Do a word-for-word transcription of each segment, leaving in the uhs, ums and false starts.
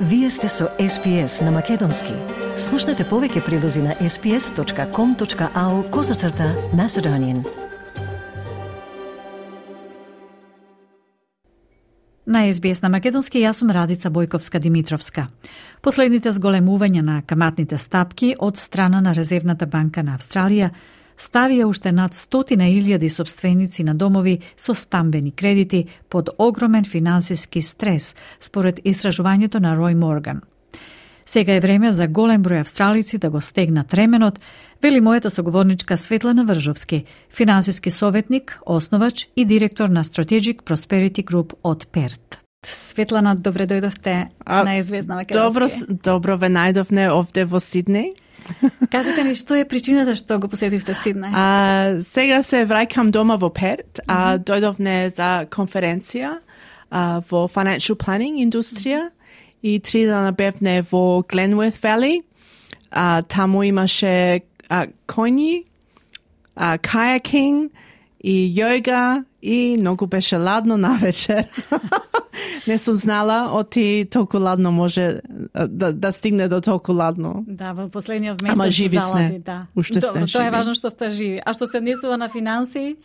Вие сте со Ес Би Ес на Македонски. Слушнете повеќе прилози на ес би ес точка ком точка ау козацрта Macedonian. На Ес Би Ес на Македонски јас сум Радица Бојковска-Димитровска. Последните зголемувања на каматните стапки од страна на Резервната банка на Австралија ставија уште над стотина илјади собственици на домови со стамбени кредити под огромен финансиски стрес, според истражувањето на Рој Морган. Сега е време за голем број австралици да го стегнат ременот, вели мојата соговорничка Светлана Вржовски, финансиски советник, основач и директор на Strategic Prosperity Group од Перт. Светлана, добре дојдовте а, на Ес Би Ес на Македонски. Добро, добро ве најдовне овде во Сиднеј. Кажете ни, што е причината што го посетивте Сиднеј? А, сега се враќам дома во Перт. А, дојдовне за конференција а, во Financial Planning индустрија и три дана бевне во Glenworth Valley. А, таму имаше а, коњи, а, кајакинг и јога и многу беше ладно навечер. Не сум знала, оти толку ладно може да, да стигне до толку ладно. Да, во последниот месец. Ама живи залади, сне. Да. Уште Добро, сне тоа е живи. важно што сте живи. А што се однесува на финанси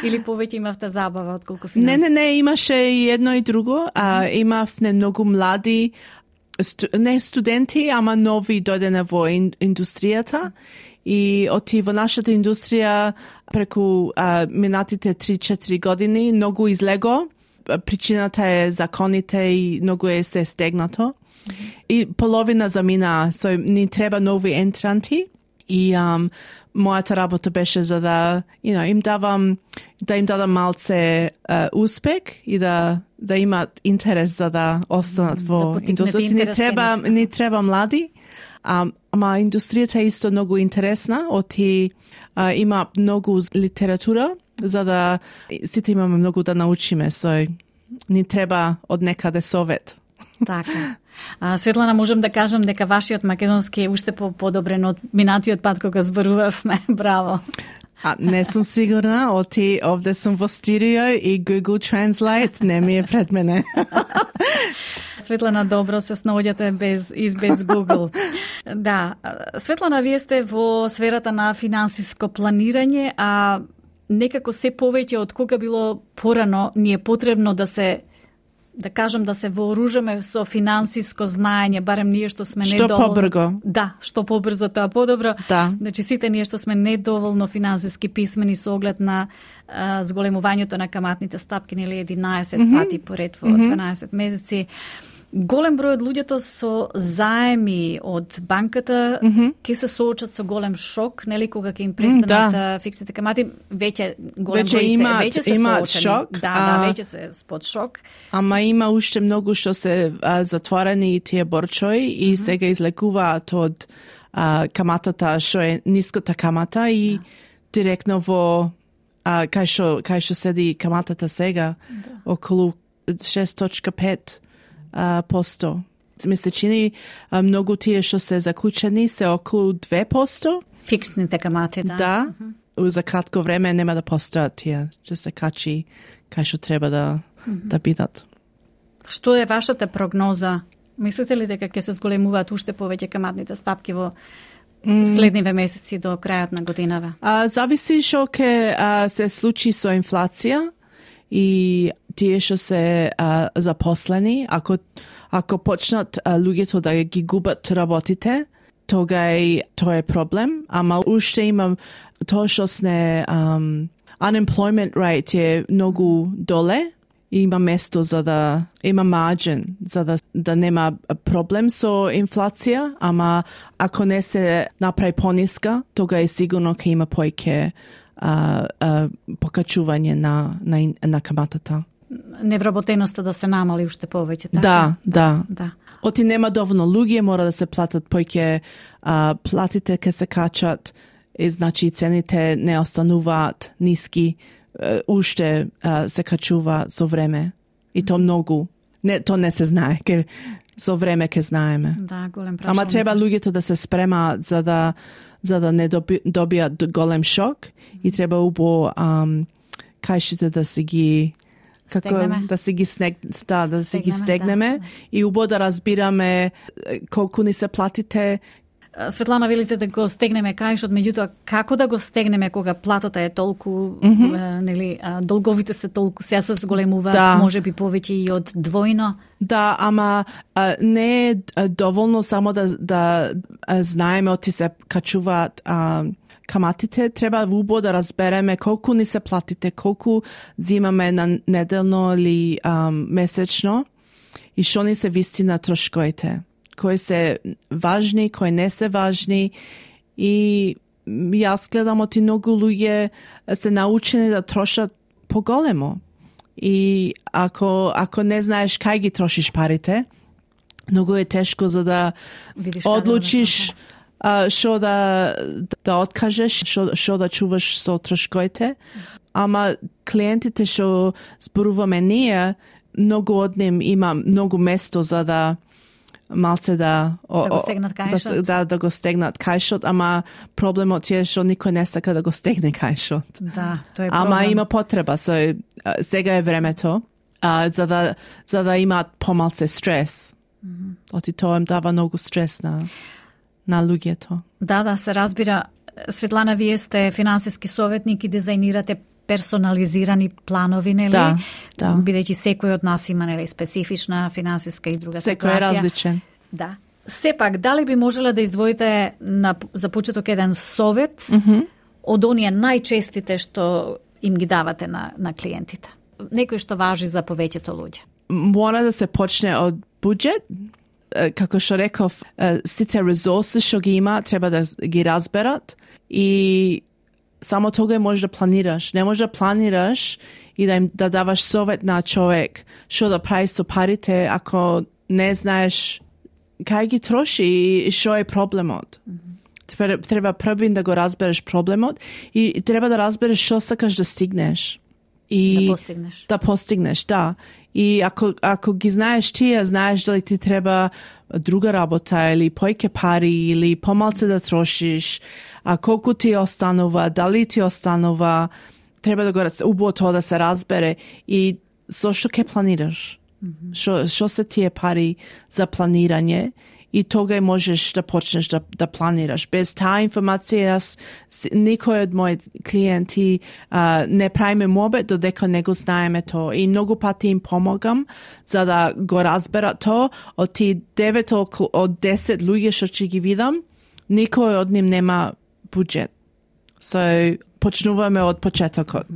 или повеќе имавте забава отколку финанси? Не, не, не, имаше и едно и друго. А, имавме многу млади, сту, не студенти, ама нови дојдене во ин, индустријата. И оти во нашата индустрија преку а, минатите три-четири години многу излего. Причината е законите и многу е се стегнато. Mm-hmm. И половина замина, so ни треба нови ентранти. И um, мојата работа беше за да, you know, им давам, да им дадам малце uh, успех и да да имаат интерес за да останат во да индустријата. Ни треба, ни треба млади. Um, ама индустријата е исто многу интересна, оти uh, има многу литература за да сите имаме многу да научиме, со ни треба од некаде совет. Така. А, Светлана, можам да кажам дека вашиот македонски е уште по-подобрен од минатиот пат кога зборувавме. Браво. А, не сум сигурна, оти овде сум во студио и Google Translate не ми е пред мене. Светлана, добро се снаоѓате без и без Google. Да, Светлана, вие сте во сферата на финансиско планирање, а некако се повеќе од кога било порано ни е потребно да се да кажам да се вооружаме со финансиско знаење, барем ние што сме што недоволно. Што побрзо. Да, што побрзо тоа подобро. Да. Значи сите ние што сме недоволно финансиски писмени со оглед на а, зголемувањето на каматните стапки, нели единаесет mm-hmm. пати поред во mm-hmm. дванаесет месеци. Голем број од луѓето со заеми од банката mm-hmm. ќе се соочат со голем шок, нели кога ќе им престанат да. фиксните камати, веќе голем веќе број има, се веќе се има соочени. шок. Да, а, да, веќе се под шок. Ама има уште многу што се а, затворени тие борчои и mm-hmm. сега излекуваат од а, каматата што е ниската камата и да. директно во а, кај што кај што седи каматата сега да. околу шест точка пет Uh, посто. Ми се чини uh, многу тие што се заклучени се околу две посто. Фиксните камати, да. Да. Uh-huh. За кратко време нема да постојат тие, ќе се качи кај што треба да uh-huh. да бидат. Што е вашата прогноза? Мислите ли дека ќе се зголемуваат уште повеќе каматните стапки во mm. следниве месеци до крајот на годинава? Uh, зависи што ќе uh, се случи со инфлација и тие што се а, запослени, ако ако почнат а, луѓето да ги губат работите, тога е тоа е проблем, ама уште има тоа што сне um, unemployment rate е многу доле и има место за да има margin за да да нема проблем со инфлација, ама ако не се направи пониска, тога е сигурно ќе има поеќе а, а, покачување на на на каматата. Невработеноста да се намали уште повеќе, така? Да, да. Да. Оти нема доволно луѓе, мора да се платат поеќе, а, платите ке се качат, и значи цените не остануваат ниски, а, уште а, се качува со време. И то многу. Не, то не се знае, ке со време ке знаеме. Да, голем прашање. Ама треба луѓето да се спремаат за да за да не доби, добијат голем шок и треба убо ам, кајшите да се ги како Стегнеме. да си ги снег, да, да си ги Стегнеме, стегнеме да. и убаво да разбираме колку ни се платите. Светлана, велите да го стегнеме кајшот, меѓутоа како да го стегнеме кога платата е толку, mm-hmm. е, нели, а, долговите се толку, сега се зголемуваат, да. може би повеќе и од двојно. Да, ама а, не е доволно само да, да а, знаеме оти се качуваат а, каматите, треба убаво да разбереме колку ни се платите, колку зимаме на неделно или а, месечно и што ни се вистина трошковите. Кои се важни, кои не се важни и јас гледам оти многу луѓе се научени да трошат поголемо. И ако, ако не знаеш кај ги трошиш парите, многу е тешко за да Видиш одлучиш што да, да откажеш, што да чуваш со трошковите. Ама клиентите што зборуваме ние, многу од ним има многу место за да малце да да го стегнат кајшот. Да, да, да го стегнат кајшот, ама проблемот е што никој не сака да го стегне кајшот. Да, тоа е проблем. Ама има потреба, so, сега е времето а, за да за да имаат помалце стрес. Mm-hmm. Оти тоа им дава многу стрес на на луѓето. Да, да, се разбира. Светлана, вие сте финансиски советник и дизајнирате персонализирани планови, нели? Да, да. Бидејќи секој од нас има, нели, специфична финансиска и друга Секој ситуација. е различен. Да. Сепак, дали би можела да издвоите на, за почеток еден совет Mm-hmm. од оние најчестите што им ги давате на, на клиентите? Некој што важи за повеќето луѓе. Мора да се почне од буџет. Како што реков, сите ресурси што ги има треба да ги разберат и само тога може да планираш. Не може да планираш и да им да даваш совет на човек што да прави со парите ако не знаеш кај ги троши и што е проблемот. Mm-hmm. Треба првин да го разбереш проблемот и треба да разбереш што сакаш да стигнеш. И да постигнеш. Да постигнеш, да. И ако, ако ги знаеш тие, знаеш дали ти треба друга работа или појќе пари или помалце да трошиш, а колку ти останува, дали ти останува, треба да го убаво тоа да се разбере и со што ќе планираш. Што mm-hmm. се тие пари за планирање и тога можеш да почнеш да, да планираш. Без таа информација, јас, никој од мои клиенти а, не правиме мобет додека не го знаеме тоа. И многу пати им помогам за да го разберат тоа. Од ти девет од десет луѓе што ќе ги видам, никој од ним нема буџет. So, почнуваме од почетокот.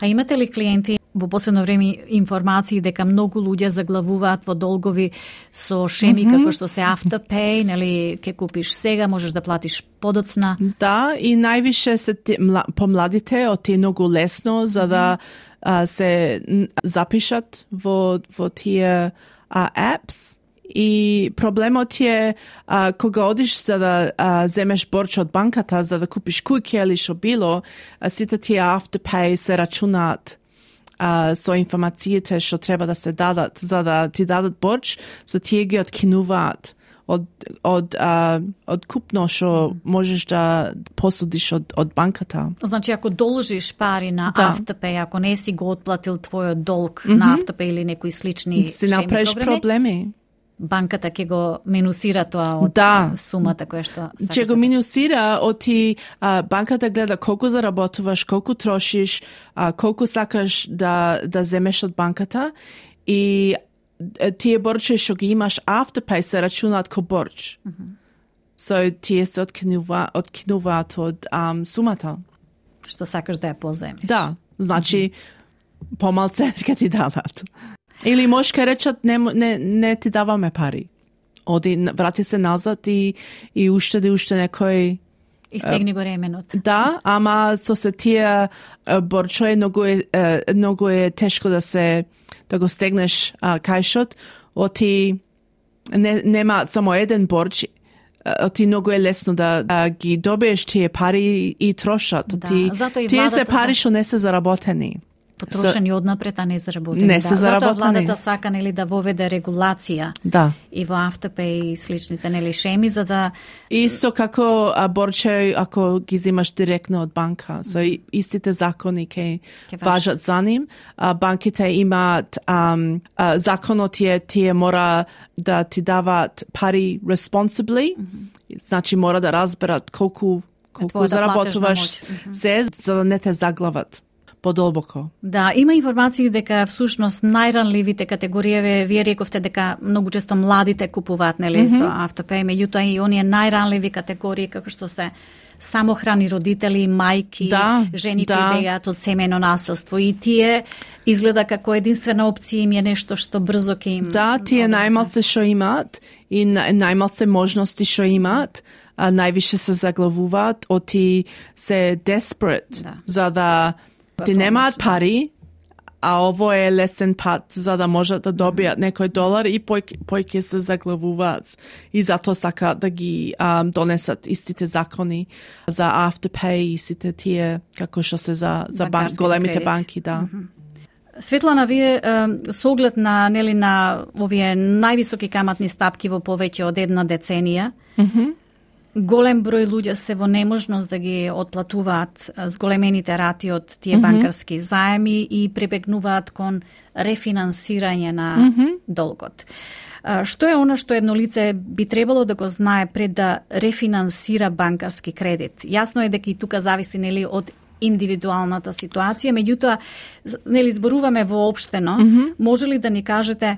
А имате ли клиенти во последно време информации дека многу луѓе заглавуваат во долгови со шеми mm-hmm. како што се Afterpay, нели ќе купиш сега, можеш да платиш подоцна? Да, и највише се ти, мла, помладите од тие многу лесно за да а, се запишат во во тие а, apps. И проблемот е а, кога одиш за да а, земеш борч од банката за да купиш куќа или што било, а, сите тие Afterpay се рачунаат а, со информациите што треба да се дадат за да ти дадат борч, со тие ги откинуваат од од а, од купно што можеш да посудиш од од банката. Значи ако должиш пари на да. Afterpay, ако не си го отплатил твојот долг mm-hmm. на Afterpay или некои слични си направиш проблеми, проблеми. Банката ќе го минусира тоа од да. сумата која што сакаш. Ќе го минусира од ти а, банката гледа колку заработуваш, колку трошиш, а, колку сакаш да да земеш од банката и тие борчи што ги имаш Afterpay се рачунаат ко борч. Mm-hmm. So тие се откинува, откинуваат од um, сумата. Што сакаш да ја поземеш. Да, значи mm-hmm. помалце ќе ти дадат. Или можеш ке речат не, не, не ти даваме пари. Оди, врати се назад и, и уштеди уште некој... И стегни го ременот. Да, ама со се тие борчои многу е, многу е тешко да се да го стегнеш а, кајшот. Оти не, нема само еден борч, оти многу е лесно да, да ги добиеш тие пари и трошат. Да, Оти, зато и тие владата, се пари да. што не се заработени. потрошени so, однапред, а не заработени. Не се да. заработени. Затоа владата сака нели да воведе регулација да. и во Afterpay и сличните нели шеми за да Исто како а, борче ако ги земаш директно од банка. So mm-hmm. истите закони ке важат за ним. А, банките имаат um, а, законот е тие мора да ти даваат пари responsibly. Mm-hmm. Значи мора да разберат колку колку да заработуваш mm-hmm. се за да не те заглават подолбоко. Да, има информации дека всушност најранливите категорији, вие рековте дека многу често младите купуваат нели mm-hmm. со Afterpay, меѓутоа и оние најранливи категории како што се самохрани родители, мајки, да, жени да. кои бегаат од семејно насилство и тие изгледа како единствена опција им е нешто што брзо ќе им Да, тие најмалце што имаат и најмалце можности што имаат, а највише се заглавуваат, оти се desperate да. за да ти немаат пари, а ово е лесен пат за да можат да добијат некој долар и појќе се заглавуваат. И затоа сака да ги um, донесат истите закони за Afterpay и сите тие како што се за, за бан, големите кредит. Банки. Да. Mm-hmm. Светлана, вие со оглед на, нели, на овие највисоки каматни стапки во повеќе од една деценија, mm-hmm. голем број луѓе се во неможност да ги отплатуваат зголемените рати од тие mm-hmm. банкарски заеми и прибегнуваат кон рефинансирање на mm-hmm. долгот. Што е она што едно лице би требало да го знае пред да рефинансира банкарски кредит? Јасно е дека и тука зависи нели од индивидуалната ситуација, меѓутоа нели зборуваме воопштено, mm-hmm. може ли да ни кажете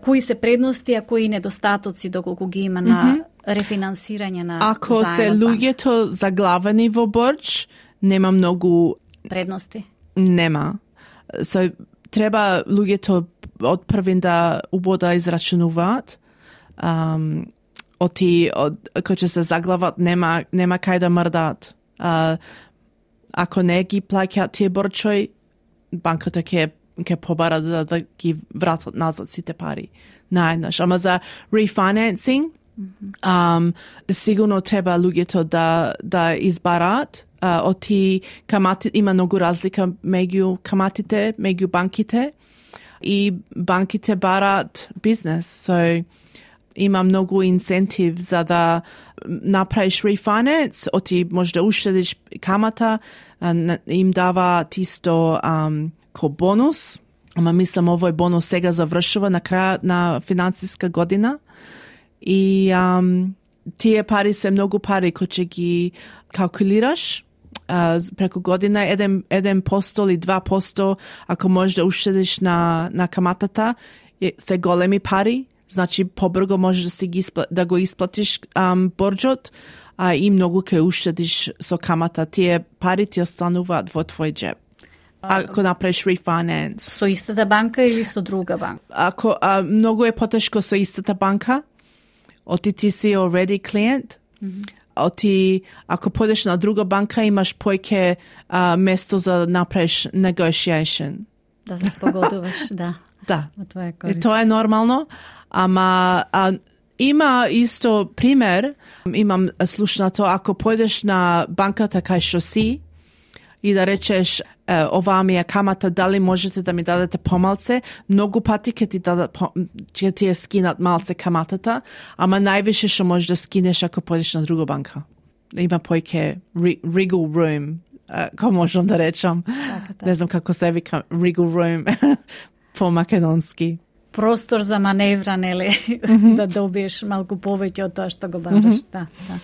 кои се предности, а кои недостатоци доколку ги има на mm-hmm. рефинансирање на Ако заемот се луѓето заглавени во борч, нема многу предности. Нема. So, треба луѓето од првин да убода израчунуваат. Um, оти од кој ќе се заглават нема нема кај да мрдаат. Uh, ако не ги плаќаат тие борчој, банката ќе ќе побара да, да ги вратат назад сите пари наеднаш. Ама за refinancing, mm-hmm. um, сигурно треба луѓето да да избараат. Uh, оти камати има многу разлика меѓу каматите, меѓу банките и банките бараат бизнес. So има многу инцентив за да направиш refinance, оти може да уштедиш камата, им дава тисто um, ко бонус, ама мислам овој бонус сега завршува на крајот на финансиска година и um, тие пари се многу пари кои ќе ги калкулираш uh, преку година еден, еден посто или два посто ако можеш да уштедиш на, на каматата се големи пари, значи побрзо можеш да, си ги испла, да го исплатиш um, борџот а, и многу ќе уштедиш со камата. Тие пари ти остануваат во твој джеб. Ако направиш refinance. Со истата банка или со друга банка? Ако а, многу е потешко со истата банка, оти ти си already client, mm-hmm. оти ако подеш на друга банка имаш појќе а, место за направиш negotiation. Да се спогодуваш, да. Да. И тоа е нормално, ама а, има исто пример, имам слушнато, ако појдеш на банката кај што си и да речеш е, оваа ми е камата, дали можете да ми дадете помалце, многу пати ќе ти дадат, ќе ти е скинат малце каматата, ама највише што можеш да скинеш ако појдеш на друга банка. Има појќе wriggle room, како можам да речам. Така, да. Не знам како се вика wriggle room по македонски. Простор за маневра, нели, mm-hmm. да добиеш малку повеќе од тоа што го бараш. Mm-hmm. Да, да.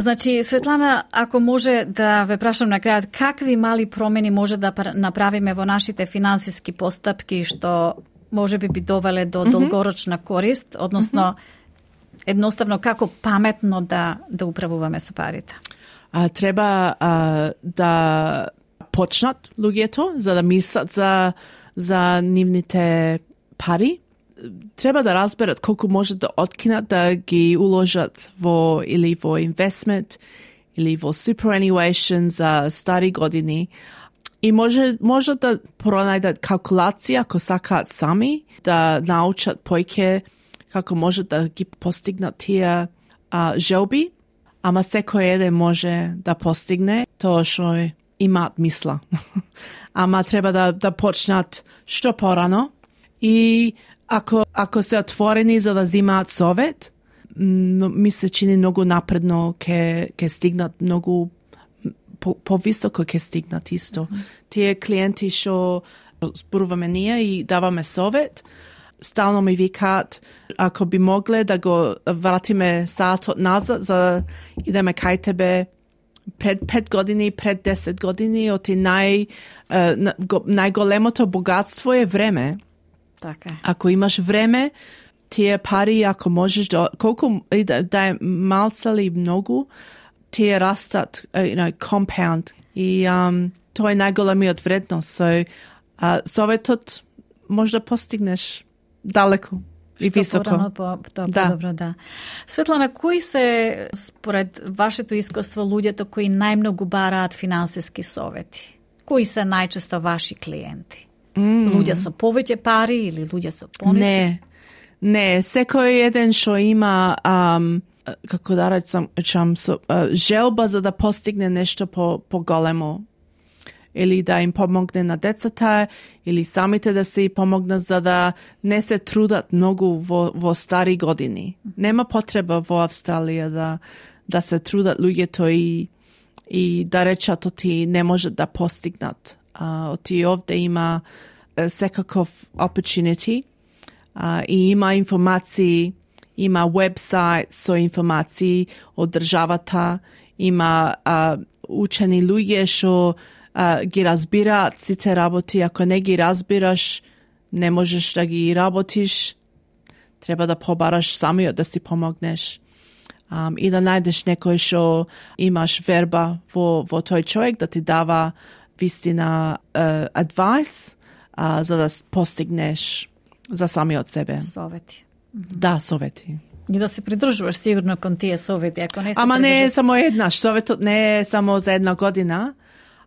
Значи, Светлана, ако може да ве прашам на крајот, какви мали промени може да направиме во нашите финансиски постапки што може би би довеле до mm-hmm. долгорочна корист, односно mm-hmm. едноставно како паметно да да управуваме со парите? А, треба а, да почнат луѓето за да мислат за за нивните пари. Треба да разберат колку може да откинат да ги уложат во или во investment или во superannuation за стари години. И може може да пронајдат калкулација ако сакаат сами, да научат појќе како може да ги постигнат тие а, желби, ама секој еден може да постигне тоа што имаат мисла. Ама треба да, да почнат што порано и ако, ако се отворени за да земаат совет, но ми се чини многу напредно ке, ке стигнат многу по, повисоко ке стигнат исто. Mm-hmm. Тие клиенти што зборуваме ние и даваме совет, стално ми викаат ако би могле да го вратиме саатот назад за идеме кај тебе пред пет години, пред десет години, оти нај, најголемото богатство е време. Така. Ако имаш време, тие пари, ако можеш да, колку да, да е малца или многу, тие растат, you know, compound. И um, тоа е најголемиот вредност. So, uh, советот може да постигнеш далеко и Што високо. Порано, по, тоа Да. подобро, да. Светлана, кои се, според вашето искуство, луѓето кои најмногу бараат финансиски совети? Кои се најчесто ваши клиенти? Mm. Луѓе со повеќе пари или луѓе со пониски? Не, не, секој еден што има um, како да речам, речам со, uh, желба за да постигне нешто по, по-големо или да им помогне на децата, или самите да се и помогнат за да не се трудат многу во, во стари години. Нема потреба во Австралија да, да се трудат луѓето и, и да речат оти не можат да постигнат. Uh, оти овде има uh, секаков opportunity uh, и има информации, има вебсайт со информации од државата, има uh, учени луѓе што Uh, ги разбираат сите работи. Ако не ги разбираш, не можеш да ги работиш. Треба да побараш самиот да си помогнеш. Um, и да најдеш некој што имаш верба во, во тој човек да ти дава вистина uh, advice uh, за да постигнеш за самиот себе. Совети. Да, совети. И да се придржуваш сигурно кон тие совети, ако не се Ама не е придржуваш- само еднаш. Советот не е само за една година.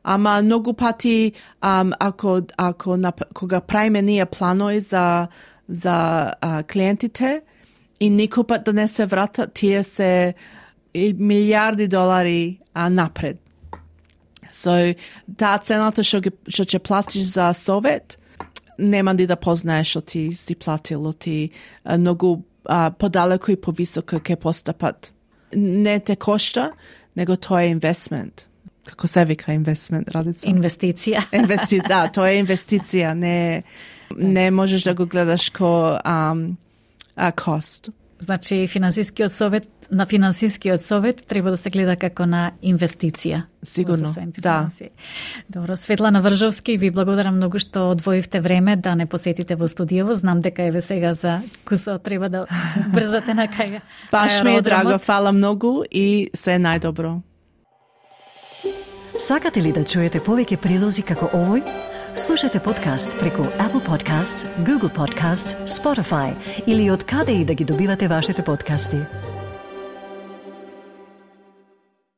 Ама многу пати, um, ако, ако на, кога правиме ние планови за, за а, клиентите и никој пат да не се вратат, тие се и милиарди долари а, напред. So, таа цената што ги- што ќе платиш за совет, нема ни да познаеш што ти си платил, ти а, многу а, подалеку и повисоко ќе постапат. Не те кошта, него тоа е инвестмент. Како се вика инвестмент, Радица? Инвестиција. Инвести, да, тоа е инвестиција, не, не можеш да го гледаш ко um, а, кост. Значи, финансискиот совет, на финансискиот совет треба да се гледа како на инвестиција. Сигурно, Во соседните да. финансии. Добро, Светлана Вржовски, ви благодарам многу што одвоивте време да не посетите во студијево. Знам дека еве сега за кусо треба да брзате на кај Баш ми е аеродромот. драго, фала многу и се најдобро. Сакате ли да чуете повеќе прилози како овој? Слушате подкаст преку Apple Podcasts, Google Podcasts, Spotify или од каде и да ги добивате вашите подкасти.